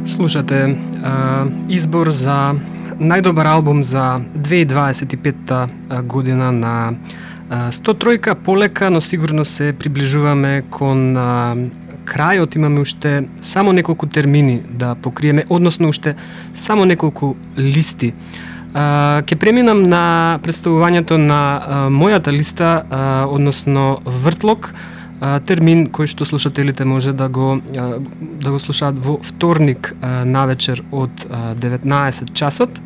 Слушате избор за најдобар албум за 2025 година на 103-ка. Полека, но сигурно се приближуваме кон крајот. Имаме уште само неколку термини да покриеме, односно уште само неколку листи. Ке преминам на представувањето на мојата листа, односно Вртлок, термин кој што слушателите може да го слушаат во вторник навечер од 19 часот.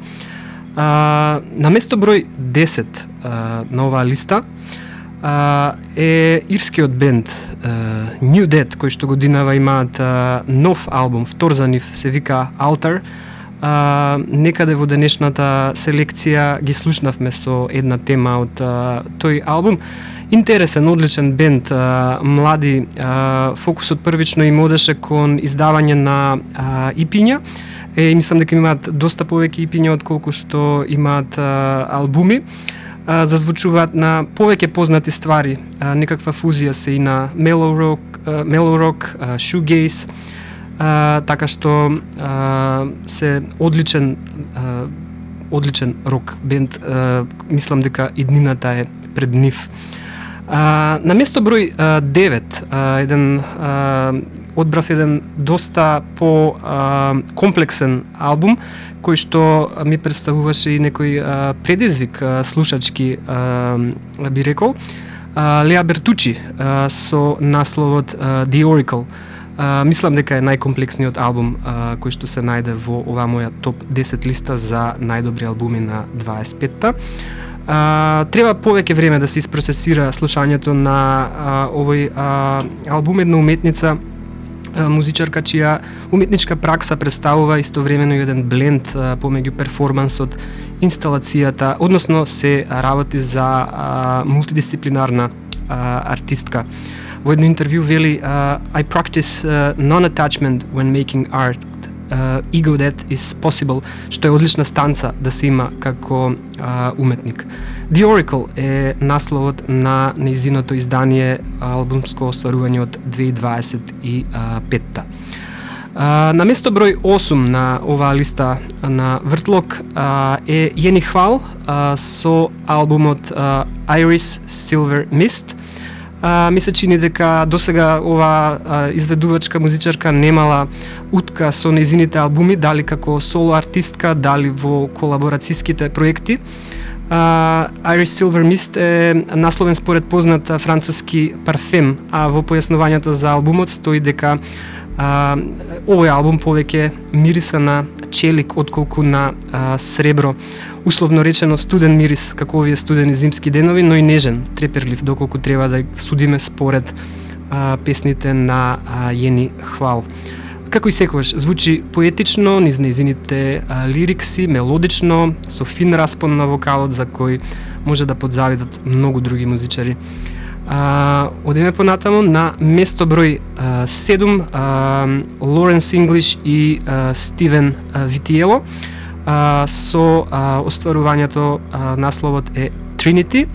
На место број 10 на оваа листа е ирскиот бенд New Dead, кој што годинава имаат нов албум, втор за нив, се вика Altar. Некаде во денешната селекција ги слушнавме со една тема од тој албум. Интересен, одличен бенд, млади, фокусот првично им одеше кон издавање на ипиња. Мислам дека имаат доста повеќе ипиња отколку што имаат албуми. Зазвучуваат на повеќе познати ствари, некаква фузија се и на mellow rock, shoegaze, така што се одличен рок бенд. Мислам дека иднината е пред нив. На место број 9 одбрав еден доста по комплексен албум кој што ми представуваше и некој предизвик слушачки, би рекол. Леа Бертучи со насловот The Oracle. Мислам дека е најкомплексниот албум кој што се најде во оваа моја топ 10 листа за најдобри албуми на 25-та. Треба повеќе време да се isprocesира слушањето на овој албум. Една уметница, музичарка чија уметничка пракса представува истовремено еден бленд помеѓу перформансот, инсталацијата, односно се работи за мултидисциплинарна артистка. Во едно интервју вели I practice non-attachment when making art. Ego that is possible, што е одлична станца да се има како уметник. The Oracle е насловот на нејзиното издание, албумско остварување од 2025-та. На место број 8 на оваа листа на Вртлок е Јени Хвал со албумот Iris Silver Mist. Ми се чини дека досега ова изведувачка музичарка немала утка со нејзините албуми, дали како соло артистка, дали во колаборацијските проекти. Iris Silver Mist е насловен според познат француски парфем, а во појаснувањата за албумот стои дека овој албум повеќе мириса на челик отколку на сребро. Условно речено студен мирис, како овие студени зимски денови, но и нежен, треперлив, доколку треба да судиме според песните на Јени Хвал. Како и секогаш, звучи поетично, низ нејзините лирикси, мелодично, со фин распон на вокалот за кој може да подзавидат многу други музичари. Одиме понатаму на место број 7 Лоренс Инглиш и Стивен Витиело со остварувањето, насловот е Trinity.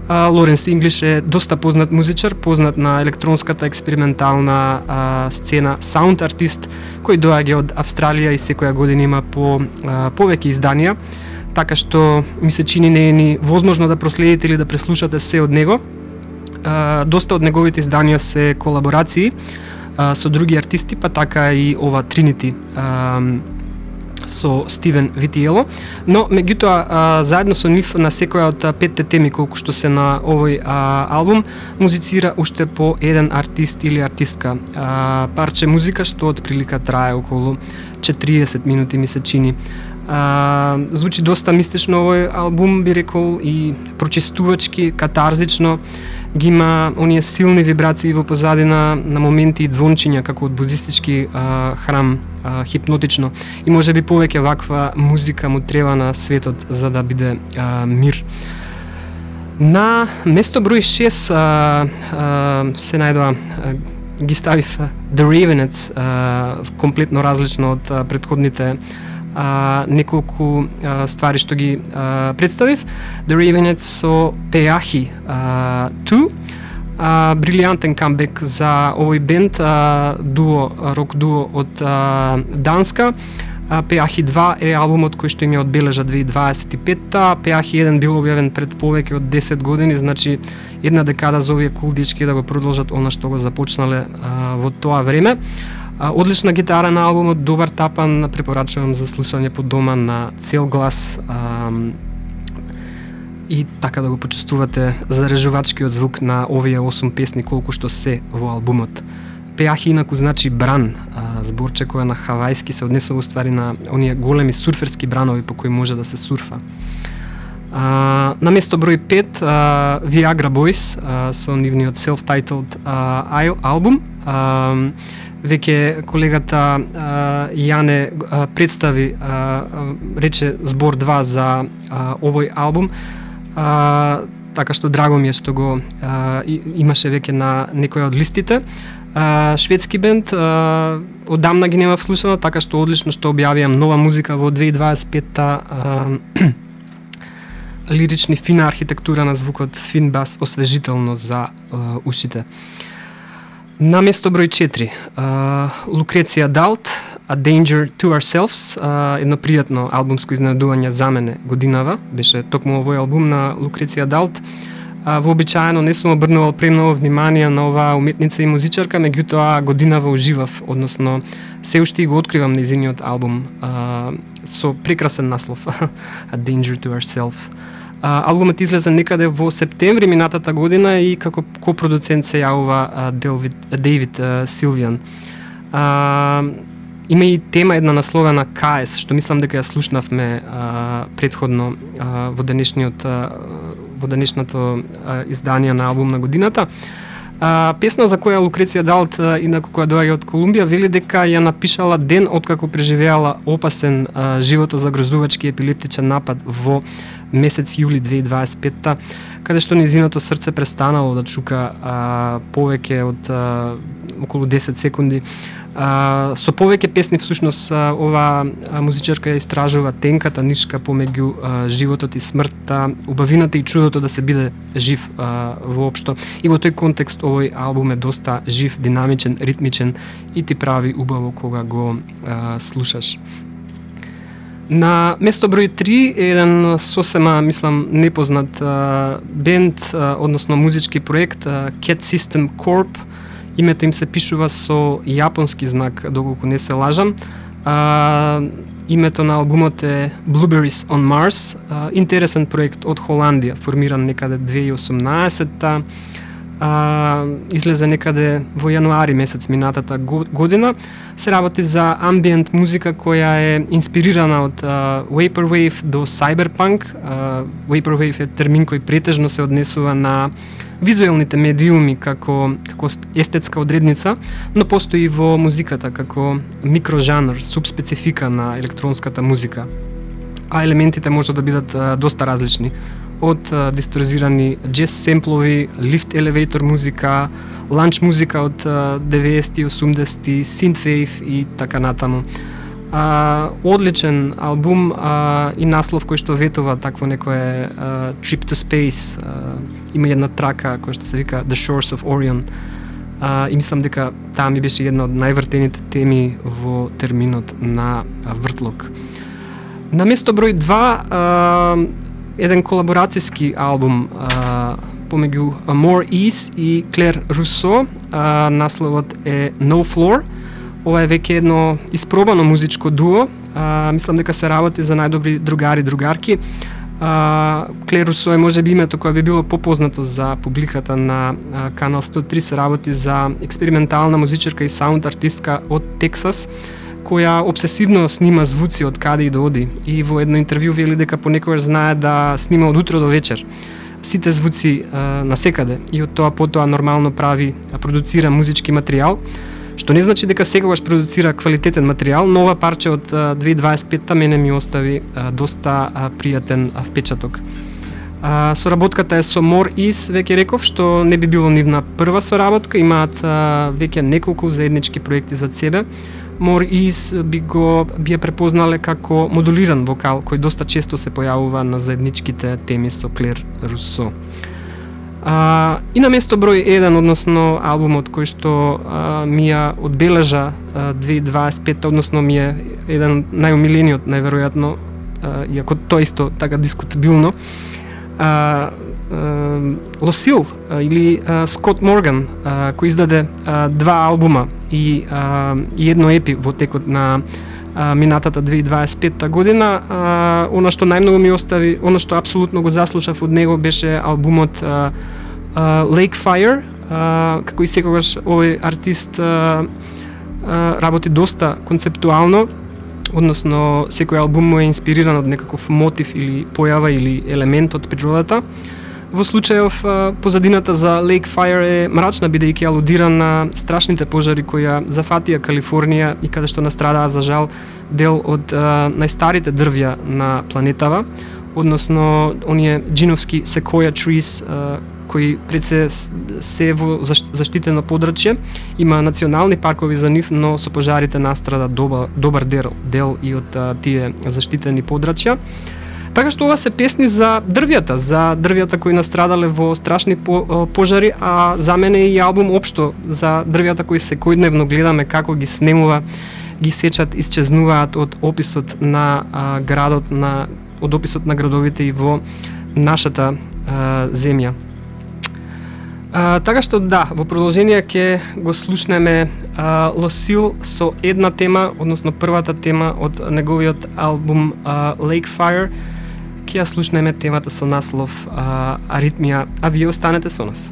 Лоренс Инглиш е доста познат музичар, познат на електронската експериментална сцена, саунд артист кој доаѓа од Австралија и секоја година има повеќе изданија, така што ми се чини не е ни возможно да проследите или да преслушате се од него. Доста од неговите изданија се колаборации со други артисти, па така и ова Trinity со Стивен Витиело, но меѓутоа заедно со нив на секоја од 5 теми колку што се на овој албум музицира уште по еден артист или артистка. Парче музика што од прилика трае околу 40 минути, ми се чини. Звучи доста мистично овој албум, би рекол, и прочистувачки, катарзично. Ги има оние силни вибрации во позадина, на моменти и звончиња како од будистички храм, хипнотично. И можеби повеќе ваква музика му треба на светот за да биде мир. На место број 6 се најдоа, ги ставив The Ravenettes, комплетно различно од претходните неколку ствари што ги представив. The Ravenettes со Peahi 2. брилијантен камбек за овој бенд, рок дуо од Данска. Пеахи 2 е албумот кој што им ја одбележа 2025-та. Пеахи 1 бил објавен пред повеќе од 10 години, значи една декада за овие кул дечки да го продолжат она што го започнале во тоа време. Одлична гитара на албумот, добар тапан, препорачувам за слушање по дома на цел глас и така да го почувствувате зарежувачкиот звук на овие 8 песни колку што се во албумот. Пеахи инаку значи бран, зборче која на хавајски се однесува уствари на оние големи сурферски бранови по кои може да се сурфа. На место број 5 Viagra Boys со нивниот self-titled албум. Веќе колегата Јане представи, рече збор 2 за овој албум, така што драго ми е што го имаше веќе на некоја од листите. Шведски бенд, одамна ги нема вслушано, така што одлично што објавија нова музика во 2025-та. Лирични, фина архитектура на звукот, фин бас, освежително за ушите. На место број 4, Lucrezia Dalt, A Danger to Ourselves, едно пријатно албумско изненадување за мене годинава, беше токму овој албум на Lucrezia Dalt. Вообичаено не сум обрнувал премногу внимание на оваа уметница и музичарка, меѓутоа годинава уживав, односно се уште го откривам нејзиниот албум со прекрасен наслов A Danger to Ourselves. Албумот излезе некаде во септември минатата година и како копродуцент се јавува Дейвид Силвиан. Има и тема една насловена КС, што мислам дека ја слушнавме предходно во денешното издание на албум на годината. Песна за која Lucrezia Dalt, инаку која доаѓа од Колумбија, вели дека ја напишала ден откако преживеала опасен животозагрозувачки епилептичен напад во месец јули 2025-та, каде што нејзиното срце престанало да чука повеќе од околу 10 секунди. Со повеќе песни всушност ова музичарка ја истражува тенката нишка помеѓу животот и смртта, убавината и чудото да се биде жив воопшто. И во тој контекст овој албум е доста жив, динамичен, ритмичен и ти прави убаво кога го слушаш. На место број 3 е еден сосема, мислам, непознат бенд, односно музички проект, Cat System Corp. Името им се пишува со јапонски знак, доколку не се лажам. Името на албумот е Blueberries on Mars. Интересен проект од Холандија, формиран некаде 2018-та. Излезе некаде во јануари месец минатата година. Се работи за амбиент музика која е инспирирана од Vaporwave до Cyberpunk. Vaporwave е термин кој претежно се однесува на визуелните медиуми како естетска одредница, но постои во музиката како микрожанр, субспецифика на електронската музика. А елементите може да бидат доста различни, од дисторзирани джез семплови, лифт елевейтор музика, ланч музика од 90-ти, 80-ти, синтвейв и така натаму. Одличен албум и наслов кој што ветува такво некое Trip to Space. Има една трака која што се вика The Shores of Orion. И мислам дека таа ми беше една од највртените теми во терминот на вртлок. На место број 2 еден колаборацијски албум помеѓу More Ease и Клер Русо. Насловот е No Floor. Ова е веќе едно испробано музичко дуо. Мислам дека се работи за најдобри другари, другарки. Клер Русо е можеби името кое би било попознато за публиката на Канал 103. Се работи за експериментална музичарка и саунд артистка од Тексас, која обсесивно снима звуци од каде и да оди. И во едно интервју вели дека понекогаш знае да снима од утро до вечер сите звуци на секаде и од тоа потоа нормално продуцира музички материјал, што не значи дека секогаш продуцира квалитетен материјал, но ова парче од 2025-та мене ми остави доста пријатен впечаток. Соработката е со More Ease, веќе реков, што не би било нивна прва соработка, имаат веќе неколку заеднички проекти зад себе. More Ease би ја препознале како модулиран вокал, кој доста често се појавува на заедничките теми со Клер Русо. И на место број 1, односно албумот кој што ми ја одбележа 2025, односно ми е еден најомилениот, најверојатно, иако тоа исто така дискутабилно, Лосил или Скот Морган, кој издаде 2 албума и едно епи во текот на минатата 2025 година. Она што најмногу ми остави, она што апсолутно го заслушав од него беше албумот Lake Fire. Како и секогаш овој артист работи доста концептуално, односно секој албум му е инспириран од некаков мотив или појава или елемент од природата. Во случајов позадината за Lake Fire е мрачна, бидејќи алудира на страшните пожари кои ја зафатија Калифорнија и каде што настрадаа за жал дел од најстарите дрвја на планетава, односно оние джиновски sequoia trees кои пред се во заштитено подрачје. Има национални паркови за нив, но со пожарите настрада добар дел и од тие заштитени подрачја. Така што ова се песни за дрвјата кои настрадале во страшни пожари, а за мене и албум општо за дрвјата кои секојдневно гледаме како ги снемува, ги сечат, исчезнуваат од описот на градот, од описот на градовите и во нашата земја. Така што да, во продолжение ќе го слушнеме Лосил со една тема, односно првата тема од неговиот албум Lake Fire. Ќе ја слушнеме темата со наслов Аритмија, а вие останете со нас.